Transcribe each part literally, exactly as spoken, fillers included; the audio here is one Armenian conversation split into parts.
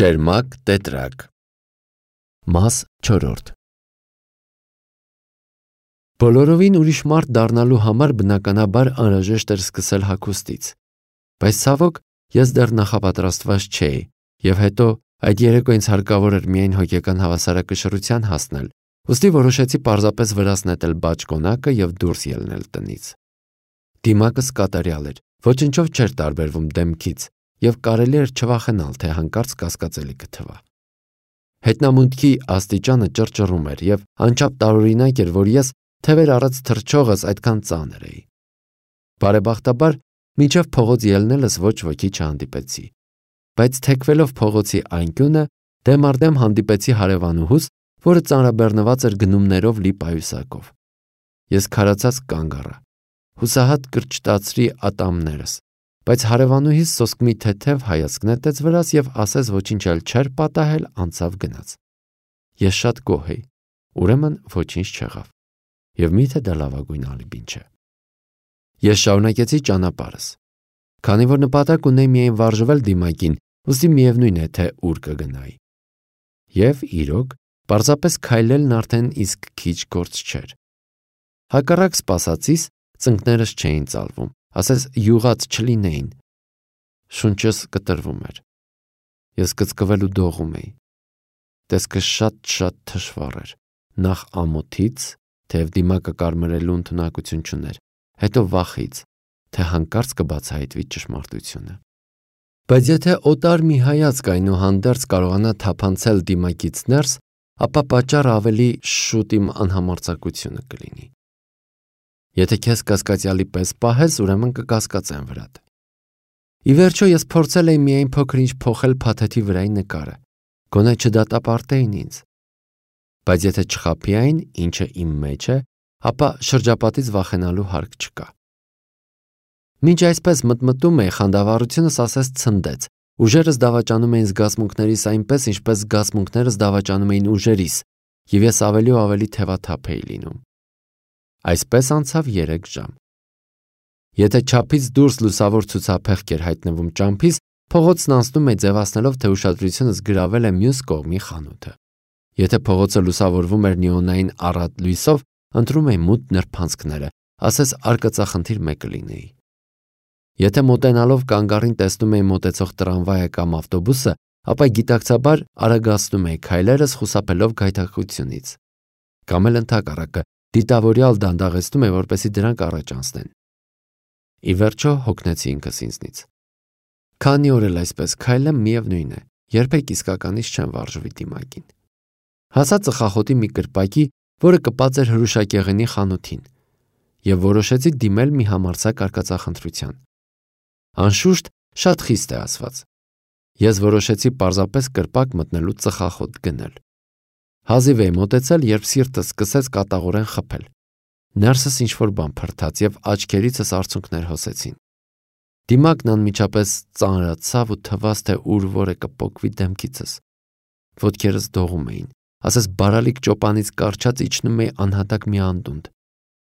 Ճերմակ տետրակ Մաս չորրորդ Բոլորովին ուրիշ մարդ դառնալու համար բնականաբար անհրաժեշտ էր սկսել հագուստից, բայց ցավոք ես դեռ նախապատրաստված չէի, եւ հետո այդ երեկո ինձ հարկավոր էր միայն հոգեկան հավասարակշռության հասնել, ուստի որոշեցի պարզապես վրաս նետել բաճկոնակը եւ դուրս ելնել տնից։ Դիմակս կատարյալ էր, ոչնչով չէր տարբերվում դեմքից, եւ կարելի էր չվախենալ, թե հանկարծ կասկածելի կթվա։ Հետնամուտքի աստիճանը ճռճռում էր եւ անչափ տարօրինակ էր, որ ես թևեր առած թռչողս այդքան ծանր էի։ Բարեբախտաբար մինչև փողոց ելնելս ոչ ոքի չհանդիպեցի, բայց թեքվելով փողոցի անկյունը դեմ առ դեմ հանդիպեցի հարևանուհուս, որը ծանրաբեռնված էր գնումներով լի պայուսակով։ Ես քարացած կանգ առա, հուսահատ կրճտացրի ատամներս, բայց հարևանուհիս սոսկմի թեթև հայացք նետեց վրաս եւ ասես ոչինչ էլ չէր պատահել, անցավ գնաց։ Ես շատ գոհ էի, ուրեմն ոչինչ չեղավ, եւ միթե դա լավագույն ալիբին չէ։ Ես շարունակեցի ճանապարհս, քանի որ նպատակ ունեի միայն վարժվել դիմակին, ուստի միևնույն է, թե ուր կգնայի։ Եվ իրոք, պարզապես քայլելն արդեն իսկ քիչ գործ չէր։ Հակառակ սպասածիս ծնկներս չէին ծալվում, ասես յուղած չլինեին։ Շունչս կտրվում էր։ Ես կծկվելու դողում էի։ Տեսքը շատ-շատ թշվառ էր, նախ ամոթից, թեև դիմակը կարմրելու ընդունակություն չուներ, հետո վախից, թե հանկարծ կբացահայտվի ճշմարտությունը։ Բայց եթե օտար մի հայացք այնուհանդերձ կարողանա թափանցել դիմակից ներս, ապա պատճառը ավելի շուտ իմ անհամարձակությունը կլինի։ Եթե քեզ կասկածյալի պես պահես, ուրեմն կկասկածեն վրադ։ Ի վերջո ես փորձել էի միայն փոքր-ինչ փոխել փաթեթի վրայի նկարը, գոնե չդատապարտեին ինձ։ Բայց եթե չխաբի այն, ինչը իմ մեջ է, ապա շրջապատից վախենալու հարկ չկա։ Մինչ այսպես մտմտում էի, խանդավառությունս ասես ցնդեց, ուժերս դավաճանում էին զգացմունքներիս այնպես, ինչպես զգացմունքներս դավաճանում էին ուժերիս, եւ ես ավելի ու ավելի թևաթափ էի լինում։ Այսպես անցավ երեք ժամ։ Եթե չափից դուրս լուսավոր ցուցափեղկ էր հայտնվում ճամփիս, փողոցն անցնում է ձևացնելով, թե ուշադրությունս գրավել է մյուս կողմի խանութը։ Եթե փողոցը լուսավորվում էր նեոնային առատ լույսով, ընտրում էի մութ նրբանցքները, ասես արկածախնդիր մեկը լինեի։ Եթե մոտենալով կանգառին տեսնում էի մոտեցող տրամվայը կամ ավտոբուսը, ապա գիտակցաբար արագացնում էի քայլերս, խուսափելով գայթակղությունից։ Կամ էլ ընդհակառակը, դիտավորյալ դանդաղեցնում է, որպեսզի դրանք առաջ անցնեն։ Ի վերջո հոգնեցի ինքս ինձնից։ Քանի օր էլ այսպես քայլեմ, միևնույն է, երբեք իսկականից չեմ վարժվի դիմակին։ Հասա ծխախոտի մի կրպակի, որը կպած էր հրուշակեղենի խանութին, եւ որոշեցի դիմել մի համարձակ արկածախնդրության։ Անշուշտ շատ խիստ է ասված։ Ես որոշեցի պարզապես կրպակ մտնելու ծխախոտ գնել։ Հազիվ էի մոտեցել, երբ սիրտս սկսեց կատաղորեն խփել։ Ներսս ինչ-որ բան փրթաց եւ աչքերիցս արցունքներ հոսեցին։ Դիմակն անմիջապես ծանրացավ ու թվաց, թե ուր որ է կպոկվի դեմքիցս։ Ոտքերս դողում էին, ասես բարալիկ ճոպանից կարճած իջնում էի անհատակ մի անդունդ։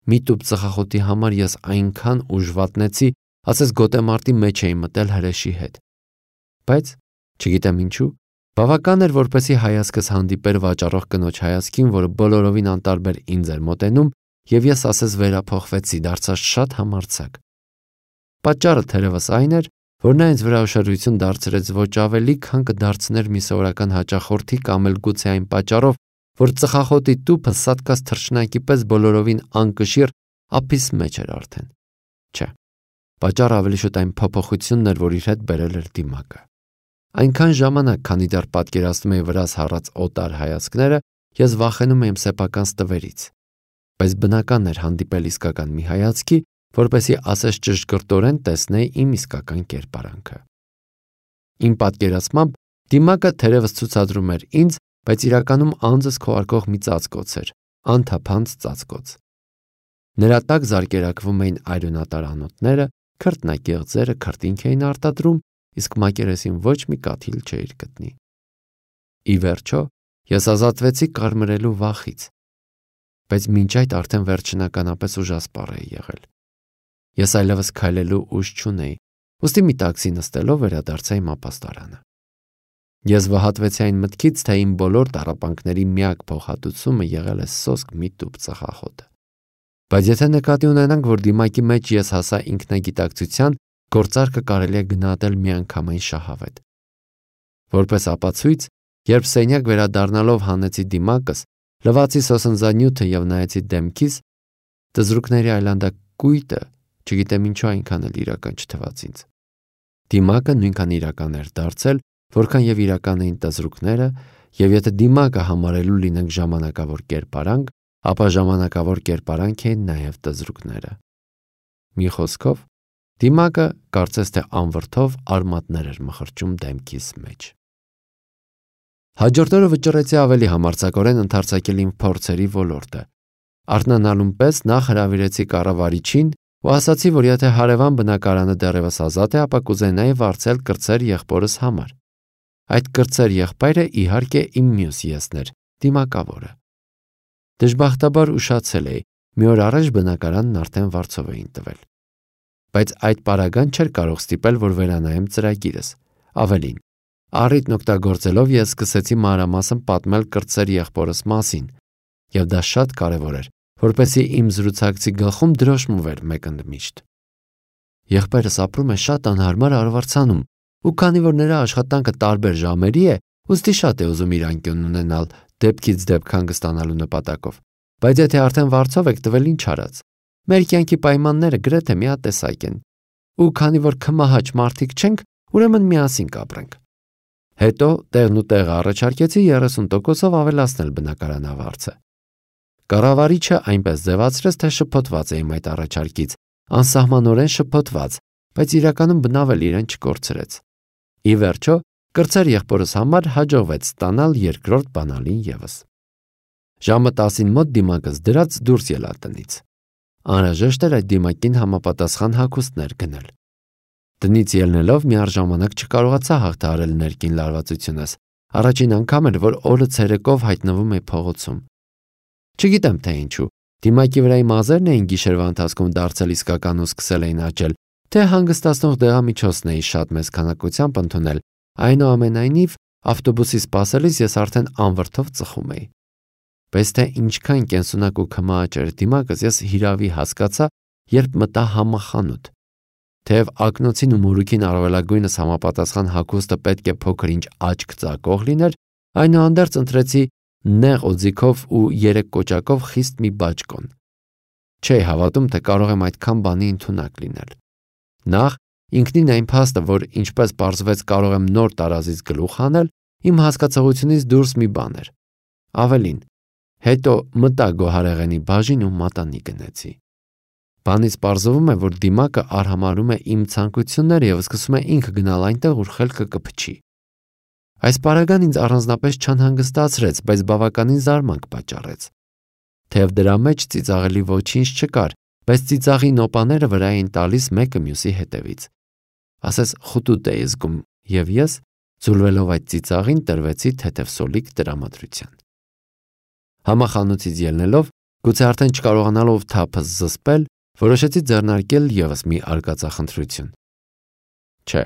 Մի տուփ ծխախոտի համար ես այնքան ուժ վատնեցի, ասես գոտեմարտի մեջ էի մտել հրեշի հետ։ Բայց չգիտեմ ինչու, բավական էր, որպեսզի հայացքս հանդիպեր վաճառող կնոջ հայացքին, որը բոլորովին անտարբեր ինձ էր մոտենում, եւ ես ասես վերափոխվեցի, դարձա շատ համարձակ։ Պատճառը թերևս այն էր, որ նա ինձ վրա ուշադրություն դարձրեց ոչ ավելի, քան կդարձներ մի սովորական հաճախորդի կամ էլ գուցե այն պատճառով, որ ծխախոտի տուփը սատկած թռչնակի պես բոլորովին անկշիռ ափիս մեջ էր արդեն։ Չէ, պատճառը ավելի շուտ այն փոփոխությունն էր, որ իր հետ բերել էր դիմակը։ Այնքան ժամանակ, քանի դեռ պատկերացնում էի վրաս հառած օտար հայացքները, ես վախենում եմ սեփական ստվերից, բայց բնական էր հանդիպել իսկական մի հայացքի, որպեսզի ասես ճշգրտորեն տեսնեի իմ իսկական կերպարանքը։ Իմ պատկերացմամբ դիմակը թերևս ցուցադրում էր ինձ, բայց իրականում անձս քողարկող մի ծածկոց էր, անթափանց ծածկոց։ Նրա տակ զարկերակվում էին այրոնատար անոթները, քրտնագեղձերը քրտինք էին արտադրում, իսկ մակերեսին ոչ մի կաթիլ չէր գտնի։ Ի վերջո, ես ազատվեցի կարմրելու վախից, բայց մինչ այդ արդեն վերջնականապես ուժասպառ էի եղել։ Ես այլևս քայլելու ուժ չունեի, ուստի մի տաքսի նստելով վերադարձա իմ ապաստարանը։ Ես վհատվեցի այն մտքից, թե իմ բոլոր տառապանքների միակ փոխհատուցումը եղել է սոսկ մի տուփ ծխախոտը։ Բայց եթե նկատի ունենանք, որ դիմակի մեջ ես հասա ինքնագիտակցության, գործարքը կարելի է գնահատել միանգամայն շահավետ։ Որպես ապացույց, երբ սենյակ վերադառնալով հանեցի դիմակս, լվացի սոսնձանյութը եւ նայեցի դեմքիս, տզրուկների այլանդակույտը, չգիտեմ ինչու այնքան էլ իրական չթվաց ինձ։ Դիմակը նույնքան իրական էր դարձել, որքան եւ իրական էին տզրուկները, եւ եթե դիմակը համարելու լինենք ժամանակավոր կերպարանք, ապա ժամանակավոր կերպարանք էին նաեւ տզրուկները։ Մի խոսքով, դիմակը կարծես թե անվրդով արմատներ էր մխրճում դեմքիս մեջ։ Հաջորդ օրը վճռեցի ավելի համարձակորեն ընդարձակել իմ փորձերի ոլորտը։ Արթնանալուն պես նախ հրավիրեցի կառավարիչին ու ասացի, որ եթե հարևան բնակարանը դեռևս ազատ է, ապա կուզենայի վարձել կրտսեր եղբորս համար։ Այդ կրտսեր եղբայրը իհարկե իմ մյուս եսն էր, դիմակավորը։ Դժբախտաբար ուշացել էի, մի օր առաջ բնակարանն արդեն վարձով էին տվել։ Բայց այդ պարագան չէր կարող ստիպել, որ վերանայեմ ծրագիրս։ Ավելին, առիթն օգտագործելով ես սկսեցի մանրամասն պատմել կրտսեր եղբորս մասին, եւ դա շատ կարեւոր էր, որպեսզի իմ զրուցակցի գլխում դրոշմվեր մեկ ընդմիշտ։ Եղբայրս ապրում է շատ անհարմար արվարձանում, ու քանի որ նրա աշխատանքը տարբեր ժամերի է, ուստի շատ է ուզում իր անկյունն ունենալ դեպքից դեպք հանգստանալու նպատակով։ Բայց եթե արդեն վարձով եք տվել, ինչ արած։ Մեր կյանքի պայմանները գրեթե միատեսակ են, ու քանի որ քմահաճ մարդիկ չենք, ուրեմն միասին կապրենք։ Հետո տեղն ու տեղը առաջարկեցի երեսուն տոկոսով ավելացնել բնակարանավարձը։ Կառավարիչը այնպես ձևացրեց, թե շփոթված է իմ այդ առաջարկից, անսահմանորեն շփոթված, բայց իրականում բնավել իրեն չկորցրեց։ Ի վերջո, կրտսեր եղբորս համար հաջողվեց ստանալ երկրորդ բանալին ևս։ Ժամը տասին մոտ դիմակս դրած դուրս ելա տնից։ Անհրաժեշտ էր այդ դիմակին համապատասխան հագուստներ գնել։ Տնից ելնելով միառժամանակ չկարողացա հաղթահարել ներքին լարվածությունս։ Առաջին անգամ էր, որ օրը ցերեկով հայտնվում էի փողոցում։ Չգիտեմ թե ինչու, դիմակի վրայի մազերն էին գիշերվա ընթացքում դարձել իսկական ու սկսել էին աճել, թե հանգստացնող դեղամիջոցն էի շատ մեծ քանակությամբ ընդունել, այնուամենայնիվ ավտոբուսի սպասելիս ես արդեն անվրդով ծխում էի։ Բայց թե ինչքան կենսունակ ու քմահաճ էր դիմակս, ես հիրավի հասկացա, երբ մտա համախանութ։ Թեև ակնոցին ու մորուքին առավելագույնս համապատասխան հագուստը պետք է փոքր-ինչ աչք ծակող լիներ, այնուհանդերձ ընտրեցի նեղ օձիքով ու երեք կոճակով խիստ մի բաճկոն։ Չէի հավատում, թե կարող եմ այդքան բանի ընդունակ լինել։ Նախ ինքնին այն փաստը, որ ինչպես պարզվեց կարող եմ նոր տարազից գլուխ հանել, իմ հասկացողությունից դուրս մի բան էր։ Ավելին, հետո մտա գոհարեղենի բաժին ու մատանի գնեցի։ Բանից պարզվում է, որ դիմակը արհամարում է իմ ցանկությունները եւ սկսում է ինքը գնալ այնտեղ, ուր խելքը կփչի։ Այս պարագան ինձ առանձնապես չանհանգստացրեց, բայց բավականին զարմանք պատճառեց։ Թեև դրա մեջ ծիծաղելի ոչինչ չկար, բայց ծիծաղի նոպաները վրա էին տալիս մեկը մյուսի հետևից։ Ասես խուտուտ էի զգում, եւ ես, ձուլվելով այդ ծիծաղին, տրվեցի թեթև սոլիկ տրամադրության։ Համախանութից ելնելով, գուցե արդեն չկարողանալով թափս զսպել, որոշեցի ձեռնարկել ևս մի արկածախնդրություն։ Չէ,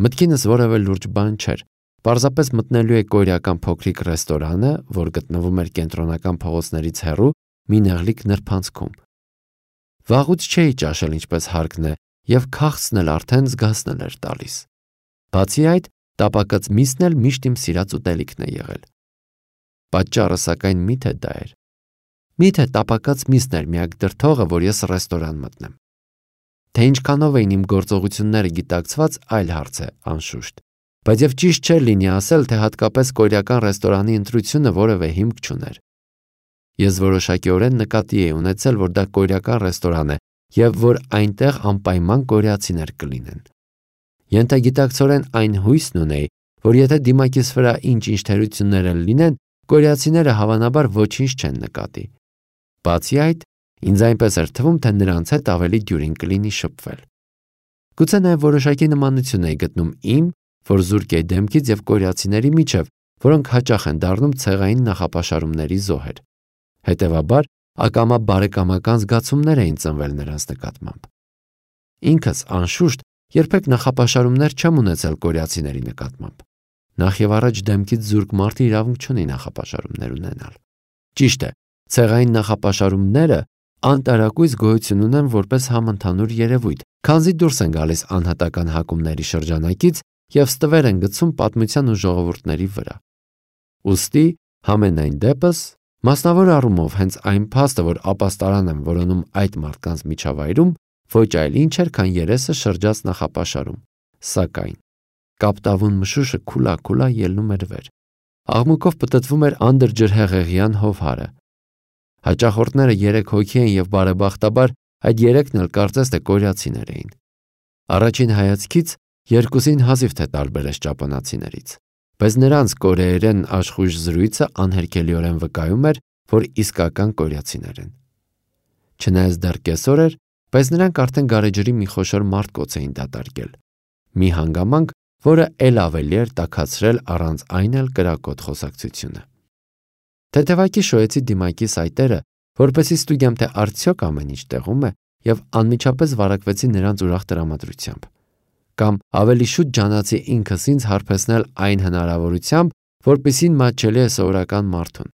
մտքինս որևէ լուրջ բան չէր։ Պարզապես մտնելու է կորեական փոքրիկ ռեստորանը, որ գտնվում էր կենտրոնական փողոցներից հեռու մի նեղլիկ նրբանցքում։ Վաղուց չէի ճաշել ինչպես հարկն է, եւ քաղցն էլ արդեն զգացնել էր տալիս։ Բացի այդ, տապակած միսն էլ միշտ իմ սիրած ուտելիքն է եղել։ Պատճառը սակայն միթե դա էր։ Միթե տապակած միսն էր միակ դրդողը, որ ես ռեստորան մտնեմ։ Թե ինչքանով էին իմ գործողությունները գիտակցված, այլ հարց է, անշուշտ։ Բայց եւ ճիշտ չէր լինի ասել, թե հատկապես կորեական ռեստորանի ընտրությունը որևէ հիմք չուներ։ Ես որոշակիորեն նկատի էի ունեցել, որ դա կորեական ռեստորան է եւ որ այնտեղ անպայման կորեացիներ կլինեն։ Ենթագիտակցորեն այն հույսն ունեի, որ եթե դիմակիս վրա ինչ-ինչ թերություններ լինեն, կորեացիները հավանաբար ոչինչ չեն նկատի։ Բացի այդ, ինձ այնպես էր թվում, թե նրանց հետ ավելի դյուրին կլինի շփվել։ Գուցե նաև որոշակի նմանություն էի գտնում իմ, որ զուրկ էի դեմքից եւ կորեացիների միջև, որոնք հաճախ են դառնում ցեղային նախապաշարումների զոհեր։ Հետևաբար, ակամա բարեկամական զգացումներ էին ծնվել նրանց նկատմամբ։ Ինքս, անշուշտ, երբեք նախապաշարումներ չեմ ունեցել կորեացիների նկատմամբ։ Նախ եւ առաջ դեմքից զուրկ մարդը իրավունք չունի նախապաշարումներ ունենալ։ Ճիշտ է, ցեղային նախապաշարումները անտարակույս գոյություն ունեն որպես համընդհանուր երևույթ, քանզի դուրս են գալիս անհատական հակումների շրջանակից եւ ստվեր են գցում պատմության ու ժողովուրդների վրա։ Ուստի, համենայն դեպս, մասնավոր առումով հենց այն փաստը, որ ապաստարան են որոնում այդ մարդկանց միջավայրում, ոչ այլ ինչ էր, քան երեսը շրջած նախապաշարում, սակայն կապտավուն մշուշը քուլա-քուլա ելնում էր վեր։ Աղմուկով պտտվում էր անդրջրհեղեղյան հովհարը։ Հաճախորդները երեք հոգի են եւ բարեբախտաբար այդ երեքն էլ կարծես թե կորյացիներ էին։ Առաջին հայացքից երկուսին հազիվ թե տարբերես ճապոնացիներից, բայց նրանց կորեերեն աշխույժ զրույցը անհերքելիորեն վկայում էր, որ իսկական կորյացիներ են։ Չնայած դեռ կեսօր էր, բայց նրանք արդեն գարեջրի մի խոշոր մարտկոց էին դատարկել։ Մի հանգամանք, որը ել ավելի էր տաքացրել առանց այն էլ կրակոտ խոսակցությունը։ Թեթևակի շոյեցի դիմակի սայտերը, որպեսզի ստուգեմ, թե արդյոք ամեն ինչ տեղում է, եւ անմիջապես վարակվեցի նրանց ուրախ տրամադրությամբ։ Կամ ավելի շուտ ջանացի ինքս ինձ հարբեցնել այն հնարավորությամբ, որպեսզի մատչելի է սովորական մարդուն։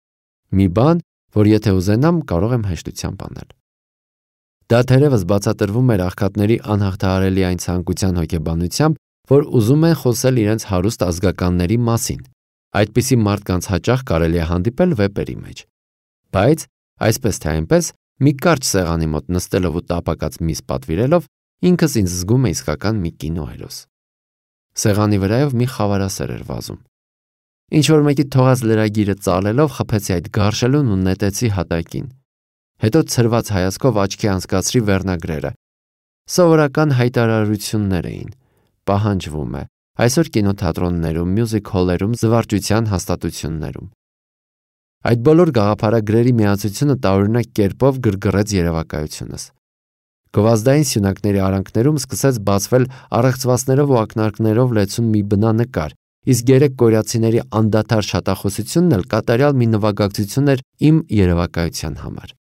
Մի բան, որ եթե ուզենամ, կարող եմ հեշտությամբ անել։ Դա թերևս բացատրվում էր աղքատների անհաղթահարելի այն ցանկության հոգեբանությամբ, որ ուզում են խոսել իրենց հարուստ ազգականների մասին։ Այդպիսի մարդկանց հաճախ կարելի է հանդիպել վեպերի մեջ։ Բայց, այսպես թե այնպես, մի կարճ սեղանի մոտ նստելով ու տապակած միս պատվիրելով, ինքս ինձ զգում եմ իսկական մի կինոհերոս։ Սեղանի վրայով մի խավարասեր էր վազում։ Ինչ-որ մեկի թողած լրագիրը ծալելով խփեցի այդ գարշելուն ու նետեցի հատակին։ Հետո ցրված հայացքով աչքի անցկացրի վերնագրերը։ Սովորական հայտարարություններ էին։ Պահանջվում է այսօր կինոթատրոններում, մյուզիկ հոլերում, զվարճության հաստատություններում։ Այդ բոլոր գաղափարագրերի միացությունը տարօրինակ կերպով գրգռեց երևակայությունս։ Գովազդային սյունակների արանքներում սկսեց բացվել առեղծվածներով ու ակնարկներով լեցուն մի բնանկար, իսկ երեք կորյացիների անդադար շատախոսությունն էլ կատարյալ մի նվագակցություն էր իմ երևակայության համար։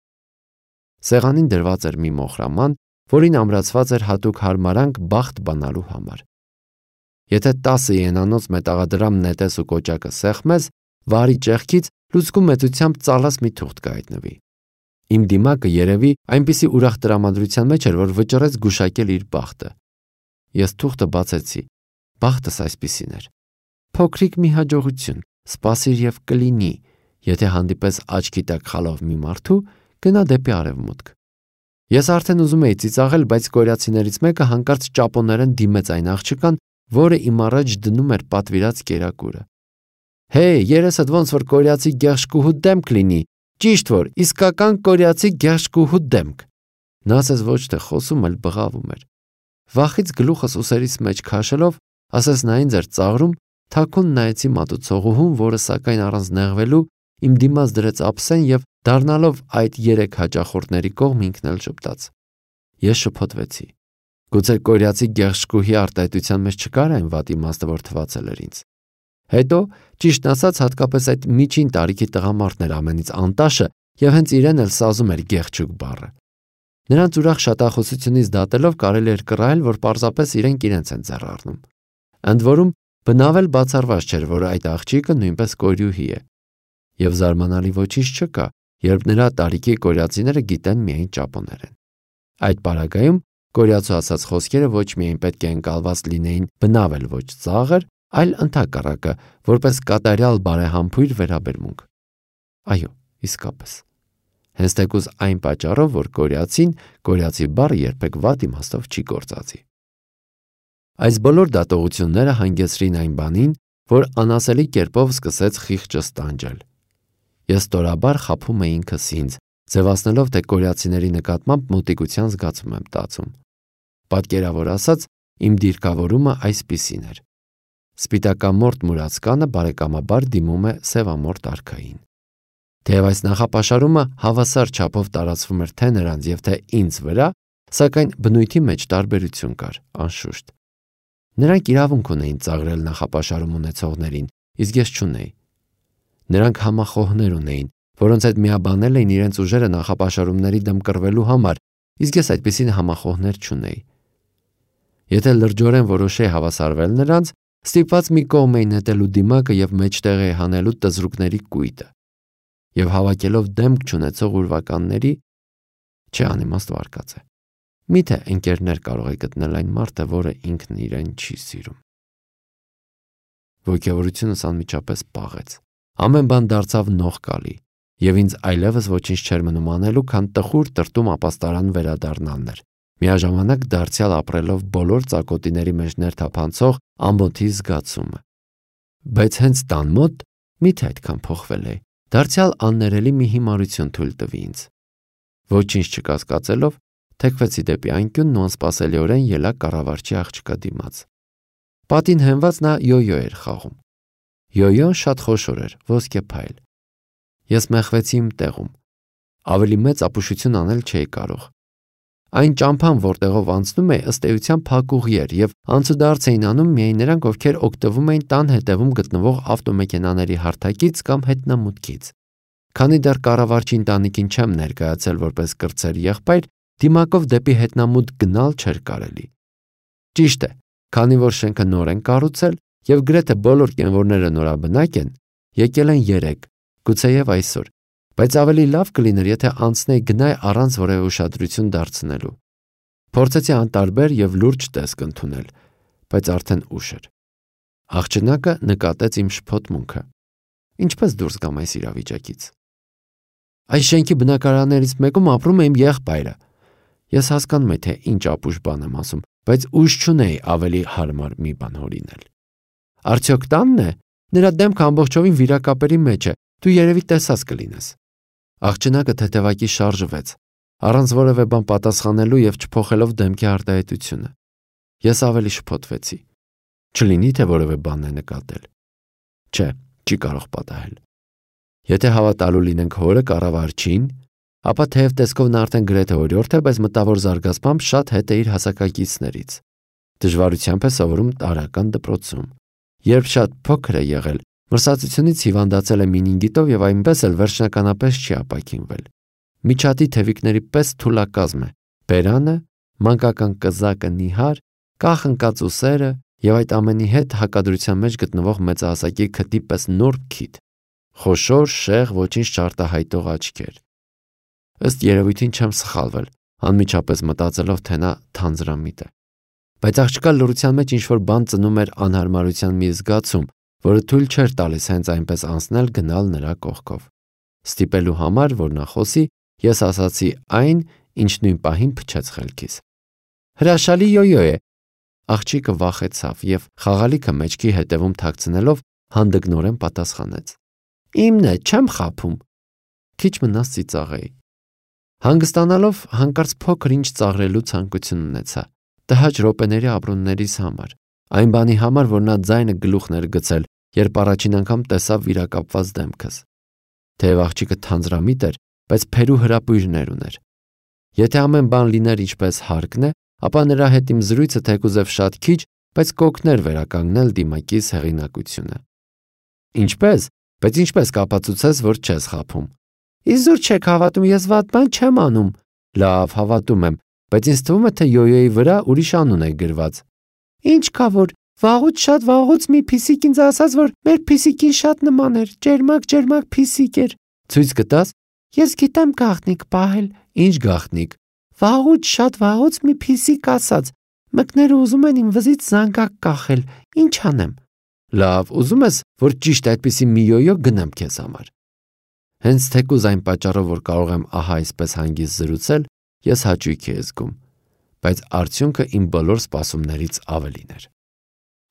Սեղանին դրված էր մի մոխրաման, որին ամրացված էր հատուկ հարմարանք բախտ բանալու համար։ Եթե տասը ենանոց մետաղադրամ նետես ու կոճակը սեղմես, վարի ճեղքից լուցկու մեծությամբ ծալած մի թուղթ կհայտնվի։ Իմ դիմակը երևի այնպիսի ուրախ տրամադրության մեջ էր, որ վճռեց գուշակել իր բախտը։ Ես թուղթը բացեցի։ Բախտս այսպիսին էր. փոքրիկ մի հաջողություն, սպասիր եւ կլինի, եթե հանդիպես աչքի տակ խալով մի մարդու, գնա դեպի արևմուտք։ Ես արդեն ուզում էի ծիծաղել, բայց կորյացիներից մեկը հանկարծ ճապոներեն դիմեց այն աղջկան, որը իմ առաջ դնում էր պատվիրած կերակուրը։ Հեյ, երեսդ ոնց որ կորյացի գեղշկուհու դեմք լինի, ճիշտ որ իսկական կորյացի գեղշկուհու դեմք։ Նա ասես ոչ թե խոսում, այլ բղավում էր։ Վախից գլուխս ուսերից մեջ քաշելով, ասես նա ինձ էր ծաղրում, թաքուն նայեցի մատուցողուհուն, որը սակայն առանց նեղվելու իմ դիմաց դրեց ափսեն եւ դառնալով այդ երեք հաճախորդների կողմ ինքն էլ շփտաց։ Ես շփոթվեցի։ Գուցե կորյացի գեղշկուհի արտահայտության մեջ չկար այն վատ իմաստը, որ թվացել էր ինձ։ Հետո, ճիշտ ասած, հատկապես այդ միջին տարիքի տղամարդն էր ամենից անտաշը եւ հենց իրեն էլ սազում էր գեղչուկ բառը։ Նրանց ուրախ շատախոսությունից դատելով կարելի էր կռահել, որ պարզապես իրենք իրենց են ձեռ առնում։ Ընդ որում, բնավել բացառված չէր, որ այդ աղջիկը նույնպես կորյուհի է։ Եվ զարմանալի ոչինչ չկա, երբ նրա տարիքի կորյացիները գիտեն միայն ճապոներեն։ Այդ պարագայում կորյացու ասած խոսքերը ոչ միայն պետք է ընկալված լինեին բնավել ոչ ծաղր, այլ ընդհակառակը, որպես կատարյալ բարեհամբույր վերաբերմունք։ Այո, իսկապես։ Հենց թեկուզ այն պատճառով, որ կորյացին կորյացի բառը երբեք վատ իմաստով չի գործածի։ Այս բոլոր դատողությունները հանգեցրին այն բանին, որ անասելի կերպով սկսեց խիղճս տանջել։ Ես ստորաբար խաբում էի ինքս ինձ, ձևացնելով, թե կորյացիների նկատմամբ մոտիկության զգացում եմ տածում։ Պատկերավոր ասած, իմ դիրքավորումը այսպիսին էր։ Սպիտակամորթ մուրացկանը բարեկամաբար դիմում է սևամորթ արքային։ Թեև այս նախապաշարումը հավասար չափով տարածվում էր թե նրանց եւ թե ինձ վրա, սակայն բնույթի մեջ տարբերություն կար, անշուշտ։ Նրանք իրավունք ունեին ծաղրել նախապաշարում ունեցողներին, իսկ ես չունեի։ Նրանք համախոհներ ունեին, որոնց հետ միաբանել էին իրենց ուժերը նախապաշարումների դեմ կռվելու համար, իսկ ես այդպիսին համախոհներ չունեի։ Եթե լրջորեն որոշեի հավասարվել նրանց, Ստիպված մի կողմ էին նետելու դիմակը և մեջտեղ է հանելու տզրուկների կույտը։ Եվ հավաքելով դեմք չունեցող ուրվականների, չէ անիմաստ վարկած է։ Միթե ընկերներ կարող է գտնել այն մարդը, որը ինքն իրեն չի սիրում։ Ոգևորությունս անմիջապես պաղեց։ Ամեն բան դարձավ նողկալի, և ինձ այլևս ոչինչ չէր մնում անելու, քան տխուր տրտում ապաստարան վերադառնալն էր, միաժամանակ դարձյալ ապրելով բոլոր ծակոտիների մեջ ներթափանցող ամոթի զգացումը։ Բայց հենց տան մոտ միթե այդքան փոխվել է, դարձյալ աններելի մի հիմարություն թույլ տվի ինձ։ Ոչինչ չկասկածելով, թեքվեցի դեպի անկյունն ու անսպասելիորեն ելա կառավարչի աղջկա դիմաց։ Պատին հենված նա յոյո էր խաղում։ Յոյոն շատ խոշոր էր, ոսկե փայլ։ Ես մեղվեցի իմ տեղում։ Ավելի մեծ ապուշություն անել չէի կարող։ Այն ճամփան, որտեղով անցնում էի, ըստ էության փակուղի էր, և անցուդարձ էին անում միայն նրանք, ովքեր օգտվում էին տան հետևում գտնվող ավտոմեքենաների հարթակից կամ հետնամուտքից։ Քանի դեռ կառավարչի ընտանիքին չեմ ներկայացել որպես կրտսեր եղբայր, դիմակով դեպի հետնամուտք գնալ չէր կարելի։ Ճիշտ է, քանի որ շենքը նոր են կառուցել և գրեթե բոլոր կենվորները նորաբնակ են, եկել են երեկ, գուցեև այսօր, բայց ավելի լավ կլիներ, եթե անցնեի գնայի առանց որևէ ուշադրություն դարձնելու։ Փորձեցի անտարբեր և լուրջ տեսք ընդունել, բայց արդեն ուշ էր։ Աղջնակը նկատեց իմ շփոթմունքը։ Ինչպես դուրս գամ այս իրավիճակից։ Այս շենքի բնակարաններից մեկում ապրում է իմ եղբայրը։ Ես հասկանում եի, թե ինչ ապուշ բան եմ ասում, բայց ուժ չունեի ավելի հարմար մի բան հորինել։ Արդյոք տանն է։ Նրա դեմքը ամբողջովին վիրակապերի մեջ է, դու երևի տեսած կլինես։ Աղջնակը թեթևակի շարժվեց, առանց որևէ բան պատասխանելու և չփոխելով դեմքի արտահայտությունը։ Ես ավելի շփոթվեցի։ Չլինի թե որևէ բան է նկատել։ Չէ, չի կարող պատահել։ Եթե հավատալու լինենք հորը կառավարչին, ապա թեև տեսքով նա արդեն գրեթե օրիորդ է, բայց մտավոր զարգացմամբ շատ հետ է իր հասակակիցներից։ Դժվարությամբ է սովորում տարրական դպրոցում։ Երբ շատ փոքր է եղել, մրսածությունից հիվանդացել է մինինգիտով և այնպես էլ վերջնականապես չի ապաքինվել։ Միջատի թևիկների պես թուլակազմ է, բերանը, մանկական կզակը նիհար, կախ ընկած ուսերը և այդ ամենի հետ հակադրության մեջ գտնվող մեծահասակի քթի պես նուրբ քիթ, խոշոր, շեղ, ոչինչ չարտահայտող աչքեր։ Ըստ երևույթին չեմ սխալվել, անմիջապես մտածելով, թե նա թանձրամիտ է։ Բայց աղջկա լռության մեջ ինչ-որ բան ծնում էր անհարմարության մի զգացում, որը թույլ չէր տալիս հենց այնպես անցնել գնալ նրա կողքով։ Ստիպելու համար, որ նա խոսի, ես ասացի այն, ինչ նույն պահին փչեց խելքիս։ Հրաշալի յոյո է։ Աղջիկը վախեցավ և խաղալիքը մեջքի հետևում թաքցնելով հանդգնորեն պատասխանեց. Իմն է, չեմ խաբում։ Քիչ մնաց ծիծաղեի։ Հանգստանալով հանկարծ փոքր ինչ ծաղրելու ցանկություն ունեցա, տհաճ րոպեների ապրումներիս համար, այն բանի համար, որ նա ձայնը գլուխն էր գցել, երբ առաջին անգամ տեսավ վիրակապված դեմքս։ Թեև աղջիկը թանձրամիտ էր, բայց փերու հրապույրներ ուներ։ Եթե ամեն բան լիներ ինչպես հարկն է, ապա նրա հետ իմ զրույցը թեկուզև շատ քիչ, բայց կօգներ վերականգնել դիմակիս հեղինակությունը։ Ինչպես, բայց ինչպես կապացուցես, որ չես խաբում։ Իզուր չեք հավատում, ես վատ բան չեմ անում։ Լավ, հավատում եմ, բայց ինձ թվում է, թե յոյոյի վրա ուրիշ անուն է գրված։ Ինչ կա որ, վաղուց շատ վաղուց մի փիսիկ ինձ ասաց, որ մեր փիսիկին շատ նման էր, ջերմակ-ջերմակ փիսիկ էր։ Ցույց կտաս։ Ես գիտեմ գաղտնիք պահել։ Ինչ գաղտնիք։ Վաղուց շատ վաղուց մի փիսիկ ասաց, մկները ուզում են իմ վզից զանգակ կախել, ինչ անեմ։ Լավ, ուզում ես, որ ճիշտ այդպիսի մի յոյո գնեմ քեզ համար։ Հենց թեկուզ այն պատճառով, որ կարող եմ ահա այսպես հանգիստ զրուցել, ես հաճույք եմ զգում, բայց արդյունքը իմ բոլոր սպասումներից ավելին էր։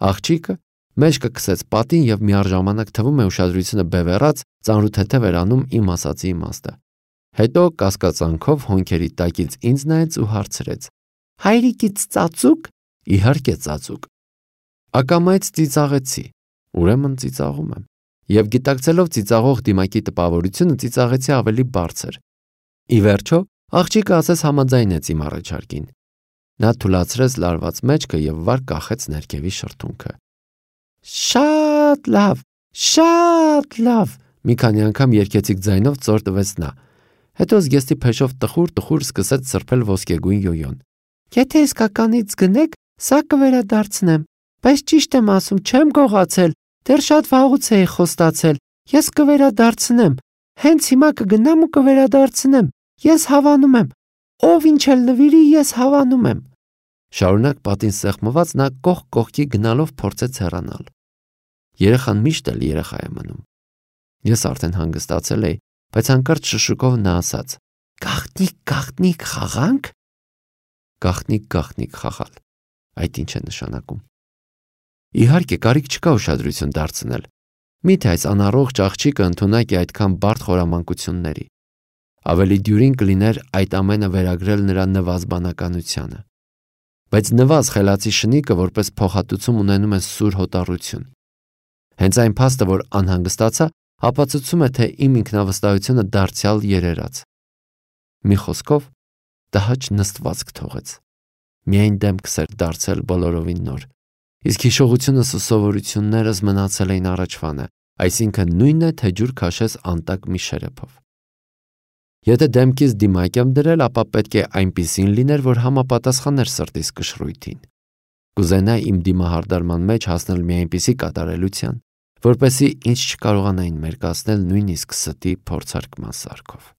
Աղջիկը մեջքը քսեց պատին և միառժամանակ թվում է ուշադրությունը բևեռած ծանրութեթև էր անում իմ ասածի իմաստը։ Հետո կասկածանքով հոնքերի տակից ինձ նայեց ու հարցրեց. Հայրիկից ծածուկ։ Իհարկե ծածուկ։ Ակամայից ծիծաղեցի, ուրեմն ծիծաղում եմ։ Եվ գիտակցելով ծիծաղող դիմակի տպավորությունը ծիծաղեցի ավելի բարձր։ Ի վերջո, աղջիկը ասես համաձայնեց իմ առաջարկին։ Նա թուլացրեց լարված մեջքը և վար կախեց ներքևի շրթունքը։ Շատ լավ, շատ լավ, մի քանի անգամ երգեցիկ ձայնով ծոր տվեց նա։ Հետո զգեստի փեշով տխուր-տխուր սկսեց սրբել ոսկեգույն յոյոն։ Եթե իսկականից գնեք, սա կվերադարձնեմ։ Բայց ճիշտ եմ ասում, չեմ գողացել, դեռ շատ վաղուց էի խոստացել, ես կվերադարձնեմ, հենց հիմա կգնամ ու կվերադարձնեմ, ես հավանում եմ, ով ինչ էլ նվիրի, ես հավանում եմ։ Շարունակ պատին սեղմված նա կողք կողքի գնալով փորձեց հեռանալ։ Երեխան միշտ էլ երեխա է մնում։ Ես արդեն հանգստացել էի, բայց հանկարծ շշուկով նա ասաց. «Գաղտնիք, գաղտնիք խաղանք»։ Գաղտնիք, գաղտնիք խաղալ։ Այդ ինչ է նշանակում։ Իհարկե, կարիք չկա ուշադրություն դարձնել։ Միթե այս անառողջ աղջիկը ընդունակ է այդքան բարդ խորամանկությունների։ Ավելի դյուրին կլիներ այդ ամենը վերագրել նրա նվազ բանականությանը։ Բայց նվազ խելացի շնիկը որպես փոխհատուցում ունենում է սուր հոտառություն։ Հենց այն փաստը, որ անհանգստացա, ապացուցում է, թե իմ ինքնավստահությունը դարձյալ երերաց։ Մի խոսքով, տհաճ նստվածք թողեց։ Միայն դեմքս էր դարձել բոլորովին նոր, իսկ հիշողությունս ու սովորություններս մնացել էին առաջվանը, այսինքն նույնն է, թե ջուր քաշես անտակ մի շերեփով։ Եթե դեմքիս դիմակ եմ դրել, ապա պետք է այնպիսին լիներ, որ համապատասխաներ սրտիս կշռույթին։ Կուզենայի իմ դիմահարդարման մեջ հասնել մի այնպիսի կատարելության, որպեսզի ինձ չկարողանային մերկացնել նույնիսկ ստի փորձարկման սարքով։